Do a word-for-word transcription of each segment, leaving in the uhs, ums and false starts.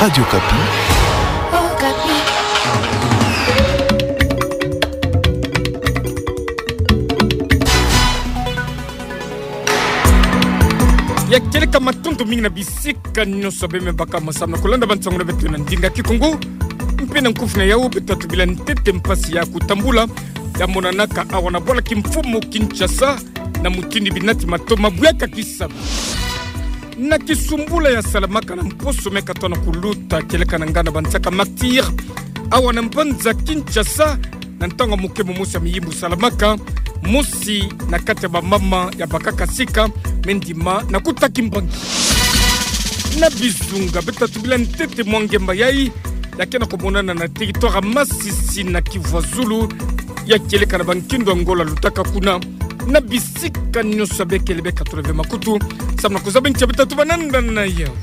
Radio Okapi. Okapi. Ya kieleka, matondo mingi na bisika nyonso beno me baka mwa samu na kulanda bansangu na beto na ndinga Kikongo. Mpe na nkufi na yau, beto tubila ntete mpasi ya kutambula ya monanaka awa na bwala kimfumu Kinshasa, na mutindu binati matoma buyaka kisalu. Na kisumbula ya salamaka na mposo me katona kuluta, kieleka na nganda bansaka Martyrs, awa na mbanza Kinshasa, na ntangu ya mokembo mosi ya miyimbu salamaka, mosi na kati ya bamama ya bakaka sika me ndima na kuta kimbangi. Na Bizunga, beto tubila ntete mwa ngemba yai ya ke na kumonana na territoire ya Masisi na Kivu ya zulu, ya kieleka na bankindo ya Ngola lutaka kuna. Na bisika nyonso bekele, beka tula ve makutu samu na kuzaba ntia beto tuba na nda na yau.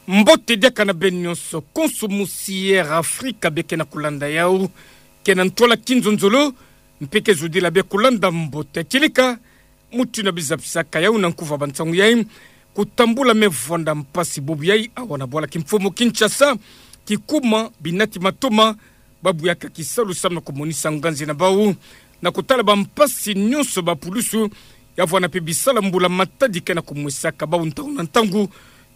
Mbote diaka na beno nyonso, konso musi Air Africa beke na kulanda yau, ke na ntwala kinzonzolo, mpe ke zudila be kulanda mbote. Kieleka, mutindu bizapisaka yau na nkufi ya bansangu yai, kutambula me vwanda mpasi bubu yai awa na bwala kimfumu Kinshasa, kikuma binati matoma ba buyaka kisalu samu na kumonisa nganzi na bau na kutala bampasi nyonso ba pulusu ya vwanda mpe bisala mbula matadi ke na kumwesaka bau ntangu na ntangu.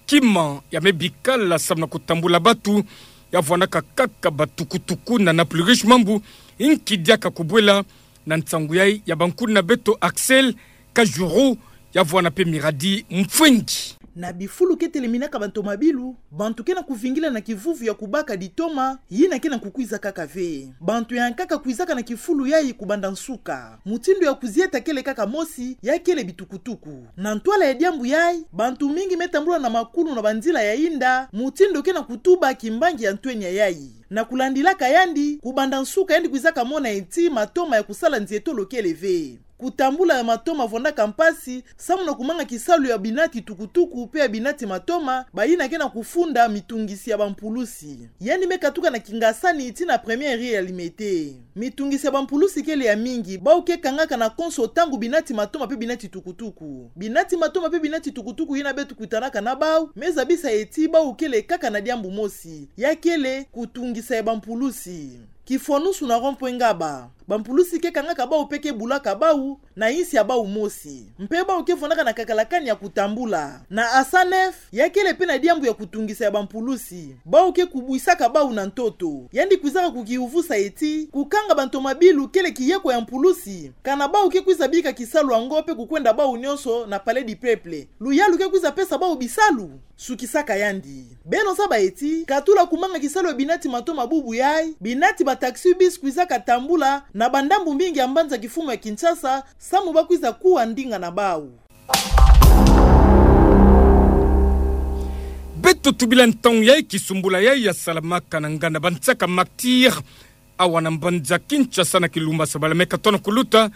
Kima ya me bikala samu na kutambula batu ya vwandaka kaka batukutuku na Nord Plus Riche Mambu, inki diaka kubwela na nsangu yai ya bankuni na beto Axel Kajuru, ya vwanda mpe Miradi Mfwengi. Na bifulu ke teleminaka bantomabilu, bantu ke na kuvingila na kivuvu ya kubaka ditoma, yina ke na kukwiza kaka ve. Bantu yankaka kwizaka na kifulu yai kubanda nsuka. Mutindu ya kuzieta kele kaka mosi, ya kele bitukutuku. Na ntwala ya diambu yai, bantu mingi me tambula na makulu na banzila ya inda, mutindu ke na kutuba kimbangi ya ntwenya yai. Na kulandilaka yandi, kubanda nsuka yandi kwizaka mona eti matoma ya kusala nzietolo kele ve. Kutambula ya matoma vwandaka mpasi samu na kumanga kisalu ya binati tukutuku mpe ya binati matoma, bayina ke na kufunda mitungisi ya bampulusi. Yandi me katuka na kingasani tii na première rue ya Limete. Mitungisi ya bampulusi kele ya mingi, bau ke kangaka na konso ntangu binati matoma mpe binati tukutuku. Binati matoma mpe binati tukutuku yina beto kutanaka na bau me zabisa eti bau kele kaka na diambu mosi, ya kele kutungisa ya bampulusi. Kifwanusu na rond-point Ngaba, bampulusi ke kangaka bau mpe ke bulaka bau na insi ya bau mosi. Mpe bau ke vwandaka na kakalakani ya kutambula. Na Asanef, ya kele mpe na diambu ya kutungisa ya bampulusi. Bau ke kubwisaka bau na ntoto. Yandi kwizaka kukiuvusa eti, kukanga bantomabilu kele kiyeko ya mpulusi. Kana bau ke kwiza bika kisalu yango mpe kukwenda bau nyonso na Palais du Peuple, luyalu ke kwiza pesa bau bisalu? Sukisaka yandi. Beno zaba eti, katula kumanga kisalu ya binati matoma bubu yai, binati ba taxi-bus kwizaka tambula na bandambu mingi ya mbanza kifumu ya Kinshasa, samu ba kwiza kuwa ndinga na bau. Beto tubila ntangu yai kisumbula yai ya salamaka na nganda bansaka Martyrs, awa na mbanza Kinshasa na kilumba sabala me katona kuluta,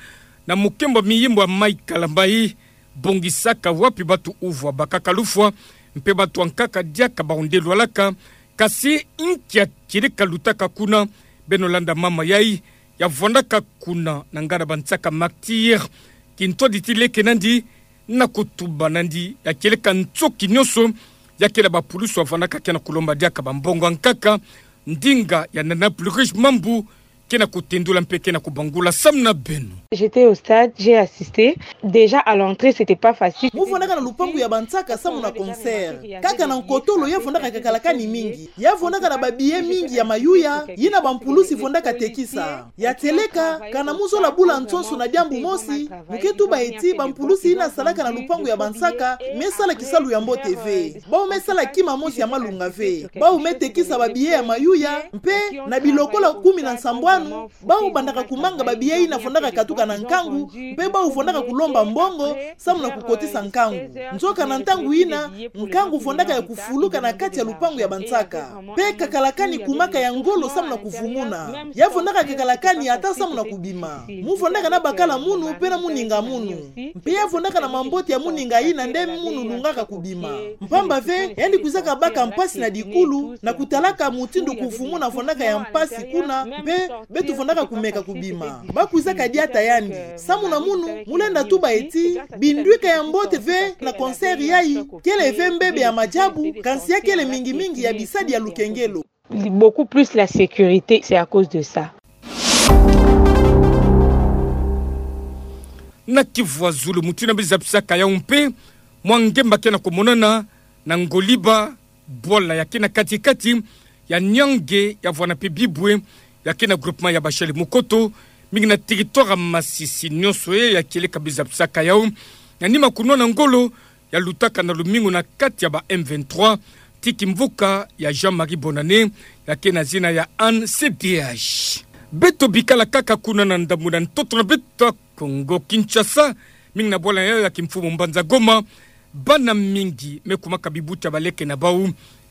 na mokembo ya miyimbu ya Mai Kalambayi, bongisaka wapi batu uvwa bakaka lufwa, mpe batu yankaka diaka bau nde lwalaka, kasi inki ya kieleka lutaka kuna? Beno landa mama yai, ya vwandaka kuna na nganda bansaka Martyrs, kintwadi ti leke nandi, na kutuba nandi ya kieleka ntoki nyonso ya kele bapulusu ya vwandaka ke na kulomba diaka bambongo yankaka, ndinga ya Nord Plus Riche Mambu ke na kutendula mpe ke na kubangula samu na beno. J'étais au stade, j'ai assisté. Déjà à l'entrée, c'était pas facile. Mu vwandaka na lupangu ya bansaka samu na concert. Kaka na nkotolo ya vwandaka kakalakani mingi. Ya vwandaka na ba billets mingi ya mayuya, yina bampulusi vwandaka tekisa. Ya tieleka, kana mu zola bula nsonso na diambu mosi, mu ke tuba eti bampulusi yina salaka na lupangu ya bansaka me sala kisalu ya mbote ve. Bau me sala kima mosi ya malunga ve. Bau me tekisa ba billets ya mayuya, mpe na bilokola kumi na nsambwanu, bau bandaka kumanga ba billets yina vwandaka katuka na nkangu, mpe bau vwandaka kulomba mbongo samu na kukotisa nkangu. Nzoka na ntangu yina, nkangu vwandaka ya kufuluka na kati ya lupangu ya bansaka. Mpe kakalakani kumaka ya ngolo samu na kuvumuna. Ya vwandaka kakalakani ata samu na kubima. Mu vwandaka na bakala munu mpe na muninga munu. Mpe ya vwandaka na mambote ya muninga yina nde munu lungaka kubima. Mpamba ve, yandi kwizaka baka mpasi na dikulu, na kutalaka mutindu kuvumuna vwandaka ya mpasi kuna, mpe Beto fwanaka kumeka kubima. Ba kwizaka diata yandi. Samu na munu, mu lenda tuba ti, binduika ya mbote ve na concert yayi, kele ve mbebe ya majabu, kansi ya kele mingi-mingi ya bisadi ya lukengelo. Beaucoup plus la sécurité, c'est à cause de ça. Na Kivu ya zulu mutindu beno zabisaka yawu mpe, mwa ngemba ke na kumonana na Ngoliba, bwala ya ke na kati-kati ya Niangue, ya vwanda mpe Bibwe, ya ke na groupement ya Bashali Mukoto, mingi na territoire ya Masisi nyonso e, ya kieleka beno zabisaka yawu. Na nima kunwana ngolo ya lutaka na lumingu na kati ya ba M vingt-trois, ti kimvuka ya Jean-Marie Bonane, ya ke na zina ya Anne C D H. Beto bikala kaka kuna na ndambu na ntoto na beto Kongo Kinshasa, mingi na bwala yawu ya kimfumu mbanza Goma, bana mingi me kumaka bibuti ya baleke na bawu.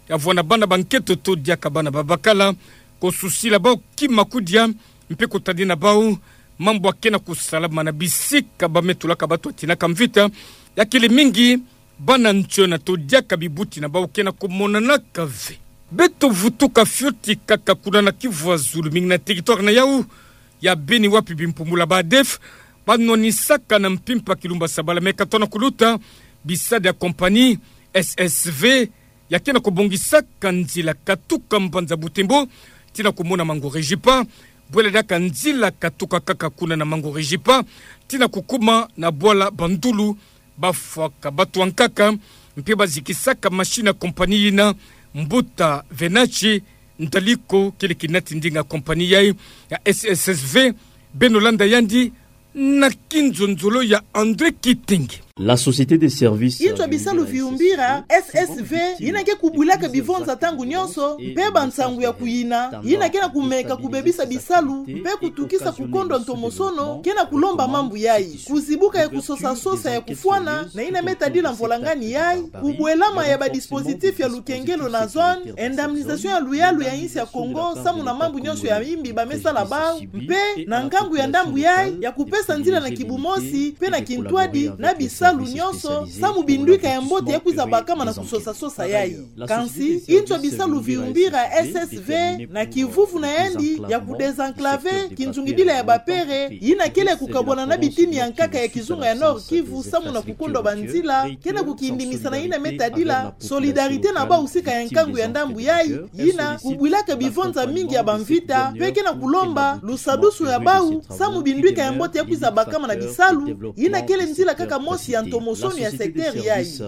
Ya vwanda bana ba nkento to diaka bana ba bakala, kususila bawu kima kudia, mpe kutadina bawu mambu ya ke na kusalama na bisika ba me tulaka bato ya tinaka mvita, ya kele mingi bana ntiona to diaka bibuti na bawu ke na kumonanaka ve. Beto vutuka fioti kaka kuna na Kivu ya zulu, mingi na territoire na yawu ya Beni, wapi bimpumbulu ya ba ADF ba nwanisaka na mpimpa kilumbu ya sabala me katono kuluta, bisadi ya compagnie S S V ya ke na kubongisaka nzila katuka mbanza Butembo ti na kumona Mango-Rejipa, bwela diaka nzila katuka kaka kuna na Mango-Rejipa ti na kukuma na bwala Bandulu. Ba fwaka bato ya nkaka, mpe ba zikisaka machine ya compagnie yina, mbuta Venachi Ndaliko, kele kinati ndinga compagnie yayi ya S S V, beno landa yandi na kinzonzolo ya André Kitenge. La société de service. Inzo ya bisalu viumbira, S S V, yina ke kubwilaka bivonza ntangu nyonso, mpe bansangu ya kuyina, yina ke na kumeka kubebisa bisalu, mpe kutukisa kukondo ntomosono, ke na kulomba mambu yayi. Kuzibuka ya kusosa-sosa ya kufwana na yina me tadila mvolangani yayi, kubwelama ya ba dispositif ya lukengelo na zone, indemnisation ya luyalu ya insi ya Kongo samu na mambu nyonso ya yimbi ba me sala bawu, mpe na nkangu ya ndambu yayi ya kupesa nzila na kibumosi mpe na kintwadi na bisalu nyonso samu binduika ya mbote ya kwiza bakama na kusosa-sosa yayi. Kansi inzo ya bisalu viumbira, S S V, na kivuvu na yandi ya kudesenclaver kinzungidila ya bapere, yina kele kukabwana na bitini ya nkaka ya kizunga ya Nord-Kivu samu na kukondwa banzila, ke na kukindimisa na yina me tadila solidarité na bawu sika ya nkangu ya ndambu yayi, yina kubwilaka bivonza mingi ya bamvita, mpe ke na kulomba lusadusu ya bawu samu binduika ya mbote ya kwiza bakama na bisalu, yina kele nzila kaka mosi ya ntomosono ya secteur yayi.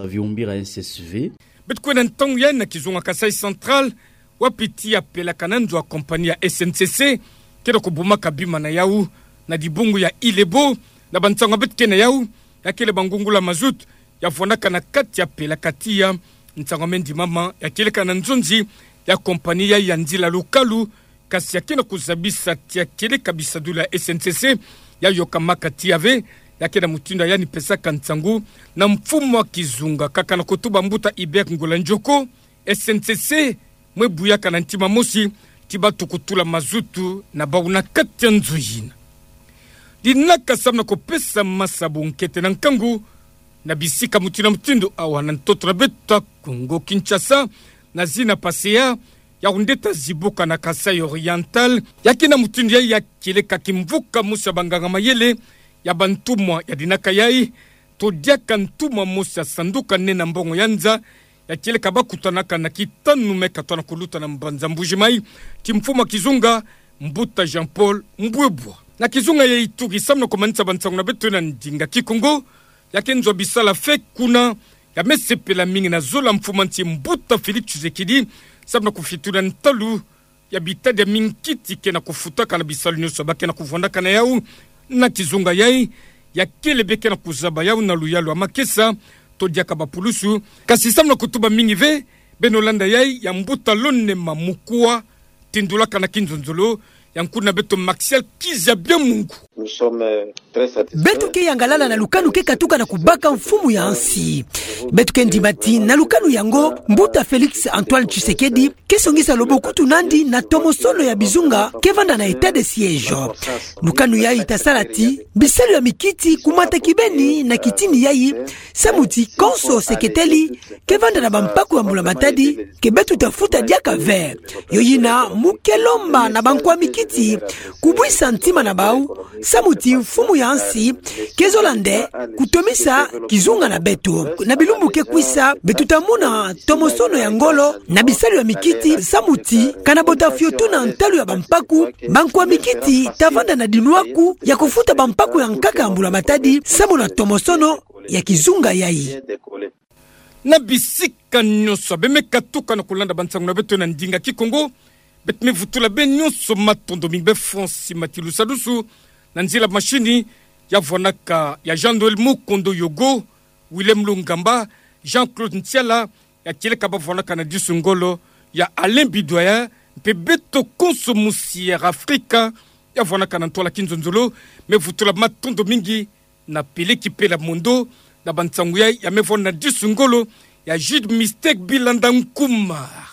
Beto kwenda ntangu yayi na kizunga Kasaï Central, wapi ti ya pelakana nzo ya compagnie ya S N C C ke na kubumaka bima na yawu na dibungu ya Ilebo. Na bansangu ya beto ke na yawu, ya kele bangungula mazout ya vwandaka na kati ya pelaka tiya. Nsangu ya me ndimama ya kieleka na nzonzi ya compagnie yayi ya nzila lukalu, kasi ya ke na kuzabisa ti ya kieleka bisadulu ya S N C C ya yokamaka tiya ve. Ya ke na mutindu yandi pesaka nsangu na mfumu ya kizunga, kaka na kutuba mbuta Hubert Ngula Njoko, S N C C mwe buyaka na ntima mosi ti bato kutula mazout na bawu na kati ya nzo yina. Dinaka samu na kupesa masabu nkete na nkangu na bisika mutindu na mutindu awa na ntoto na beto ya Kongo Kinshasa, na zina PACEA, yawu nde ta zibuka na Kasaï Oriental. Ya ke na mutindu yayi ya kieleka kimvuka mosi ya banganga-mayele ya bantumwa ya dinaka yayi, to diaka ntumwa mosi ya sanduka nene ya mbongo ya nza, ya kieleka bakutanaka na kitanu me katono kuluta na mbanza Mbuji-Mayi, ti mfumu ya kizunga, mbuta Jean-Paul Mbwebwa. Na kizunga ya Ituri, samu na kumanisa bansangu na beto na ndinga Kikongo, ya ke nzo ya bisala fe kuna ya me sepela mingi na zola mfumu ya nsi, mbuta Félix Tshisekedi, samu na kufitula ntalu ya bitadi ya minkiti ke na kufutaka na bisalu nyonso ba ke na kuvwandaka na yawu na kizunga yayi. Ya kele be ke na kuzaba yawu na luyalu ya makesa to diaka bapulusu. Kasi samu na kutuba mingi ve, beno landa yayi ya mbuta Lonema Mukua, tindulaka na kinzonzolo ya nkuna beto Maxiel Kizia Biamungu. Nous sommes, euh, très satisfaits. Beto ke yangalala na lukanu ke katuka na kubaka mfumu ya nsi. Beto ke ndima ti na lukanu yango, mbuta Félix Antoine Tshisekedi ke songisa lobokutu nandi na tomosono ya bizunga ke vanda na état de siège. Lukanu yayi ta sala ti bisalu ya mikiti kumata kibeni na kitini yayi, samu ti konso se keteli ke vanda na bampaku ya mbula matadi ke beto ta futa diaka ve. Yo yina mu ke lomba na bankwa mikiti kubwisa ntima na bau, samu ti mfumu ya nsi ke zola nde kutomisa kizunga na beto. Na bilumbu ke kwisa, beto ta mona tomosono ya ngolo na bisalu ya mikiti, samu ti kana bo ta fiotuna ntalu ya bampaku, bankwa mikiti ta vanda na dinwaku ya kufuta bampaku ya nkaka ya mbula matadi, samu na tomosono ya kizunga yayi. Na bisika nyonso abe me katuka na kulanda bansangu na beto na ndinga Kikongo, beto me vutula beno nyonso matondo mingi. Be Francis Matilu Sadusu, na nzila mashini ya vwanaka ya Jean-Noël Mukondo Yogo, Willem Lungamba, Jean-Claude Ntiala, ya kieleka ba vwanaka na disu ngolo, ya Alain Bidoyen, mpe beto konso musi Air Afrika ya vwanaka na ntwala kinzonzolo. Me vutula matondo mingi na Peleki Pela Mondo, na bansangu yayi ya me vwanda na disu ngolo, ya Jude Mistake Bilanda Nkumar.